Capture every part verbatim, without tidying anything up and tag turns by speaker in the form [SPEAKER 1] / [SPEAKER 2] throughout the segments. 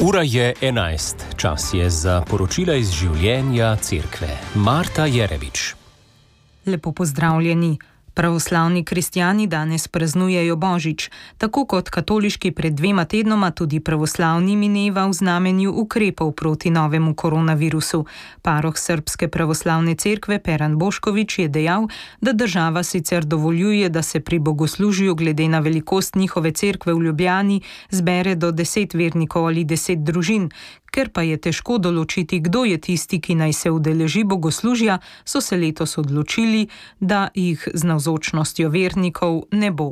[SPEAKER 1] Ura je enajst, čas je za poročila iz življenja cerkve. Marta Jerevič.
[SPEAKER 2] Lepo pozdravljeni. Pravoslavni kristjani danes praznujejo Božič, tako kot katoliški pred dvema tednoma tudi pravoslavni mineva v znamenju ukrepov proti novemu koronavirusu. Paroh Srbske pravoslavne cerkve Peran Bošković je dejal, da država sicer dovoljuje, da se pri bogoslužju glede na velikost njihove cerkve v Ljubljani zbere do deset vernikov ali deset družin. Ker pa je težko določiti, kdo je tisti, ki naj se udeleži bogoslužja, so se letos odločili, da jih z navzočnostjo vernikov ne bo.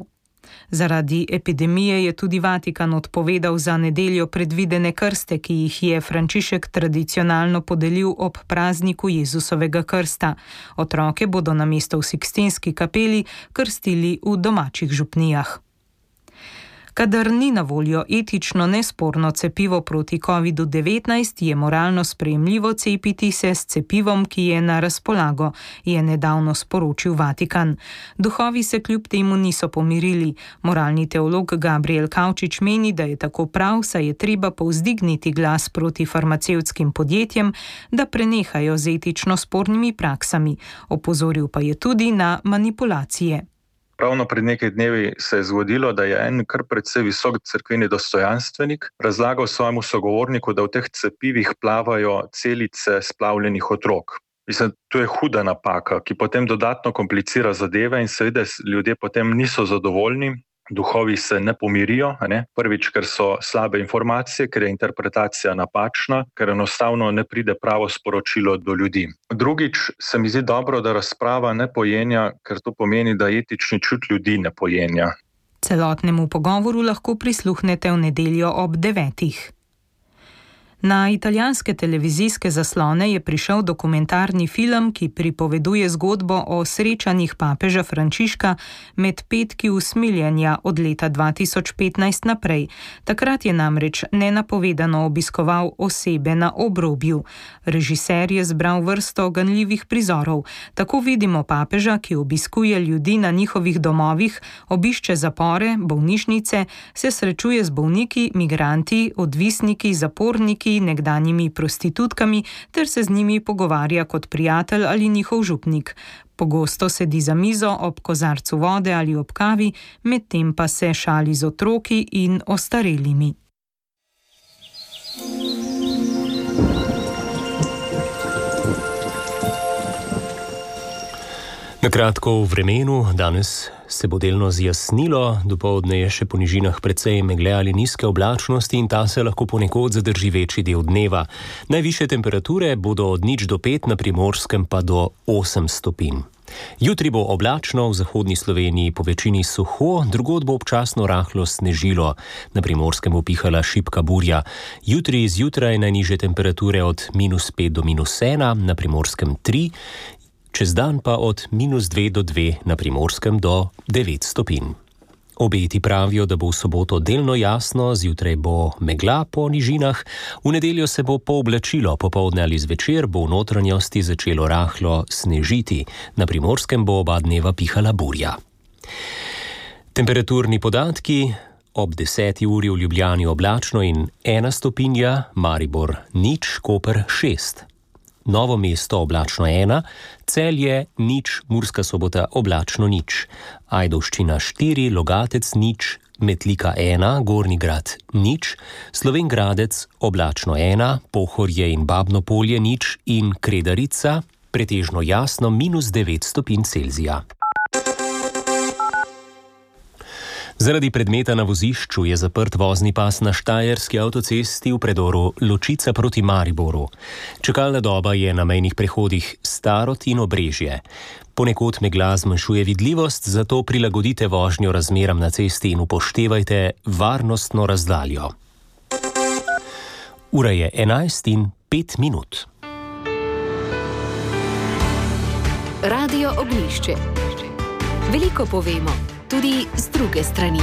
[SPEAKER 2] Zaradi epidemije je tudi Vatikan odpovedal za nedeljo predvidene krste, ki jih je Frančišek tradicionalno podelil ob prazniku Jezusovega krsta. Otroke bodo namesto v Sikstinski kapeli krstili v domačih župnijah. Kadar ni na voljo etično nesporno cepivo proti kovidu devetnajst, je moralno sprejemljivo cepiti se s cepivom, ki je na razpolago, je nedavno sporočil Vatikan. Duhovi se kljub temu niso pomirili. Moralni teolog Gabriel Kavčič meni, da je tako prav, saj je treba povzdigniti glas proti farmacevtskim podjetjem, da prenehajo z etično spornimi praksami. Opozoril pa je tudi na manipulacije.
[SPEAKER 3] Ravno pred nekaj dnevi se je zgodilo, da je en kar precej visok cerkveni dostojanstvenik razlagal svojemu sogovorniku, da v teh cepivih plavajo celice splavljenih otrok. Mislim, to je huda napaka, ki potem dodatno komplicira zadeve in seveda ljudje potem niso zadovoljni. Duhovi se ne pomirijo, ne? Prvič, ker so slabe informacije, ker je interpretacija napačna, ker enostavno ne pride pravo sporočilo do ljudi. Drugič, se mi zdi dobro, da razprava ne pojenja, ker to pomeni, da etični čut ljudi ne pojenja.
[SPEAKER 2] Celotnemu pogovoru lahko prisluhnete v nedeljo ob devetih. Na italijanske televizijske zaslone je prišel dokumentarni film, ki pripoveduje zgodbo o srečanjih papeža Frančiška med petki usmiljenja od leta dva tisoč petnajst naprej. Takrat je namreč nenapovedano obiskoval osebe na obrobju. Režiser je zbral vrsto ganljivih prizorov. Tako vidimo papeža, ki obiskuje ljudi na njihovih domovih, obišče zapore, bolnišnice, se srečuje z bolniki, migranti, odvisniki, zaporniki, nekdanjimi prostitutkami ter se z njimi pogovarja kot prijatelj ali njihov župnik. Pogosto sedi za mizo ob kozarcu vode ali ob kavi, medtem pa se šali z otroki in ostarelimi.
[SPEAKER 1] Na kratko v vremenu, danes se bo delno zjasnilo, dopoldne je še po nižinah precej megle ali nizke oblačnosti in ta se lahko ponekod zadrži večji del dneva. Najvišje temperature bodo od nič do pet, na Primorskem pa do osem stopinj. Jutri bo oblačno, v zahodni Sloveniji po večini suho, drugod bo občasno rahlo snežilo, na Primorskem bo pihala šibka burja. Jutri zjutraj najnižje temperature od minus pet do minus ena, na Primorskem tri, čez dan pa od minus dve do dve, na Primorskem do devet stopinj. Obeti pravijo, da bo v soboto delno jasno, zjutraj bo megla po nižinah, v nedeljo se bo pooblačilo, popoldne ali zvečer bo v notranjosti začelo rahlo snežiti, na Primorskem bo oba dneva pihala burja. Temperaturni podatki: ob deseti uri v Ljubljani oblačno in ena stopinja, Maribor nič, Koper šest. Novo mesto oblačno ena, Celje nič, Murska Sobota oblačno nič, Ajdovščina štiri, Logatec nič, Metlika ena, Gornji Grad nič, Slovenj Gradec oblačno ena, Pohorje in Babno Polje nič in Kredarica pretežno jasno minus devet stopinj Celzija. Zaradi predmeta na vozišču je zaprt vozni pas na štajerski avtocesti v predoru Ločica proti Mariboru. Čakalna doba je na mejnih prehodih Starod in Obrežje. Ponekod megla zmanjšuje vidljivost, zato prilagodite vožnjo razmeram na cesti in upoštevajte varnostno razdaljo. Ura je enajst in pet minut.
[SPEAKER 4] Radio Oglišče. Veliko povemo, tudi z druge strani.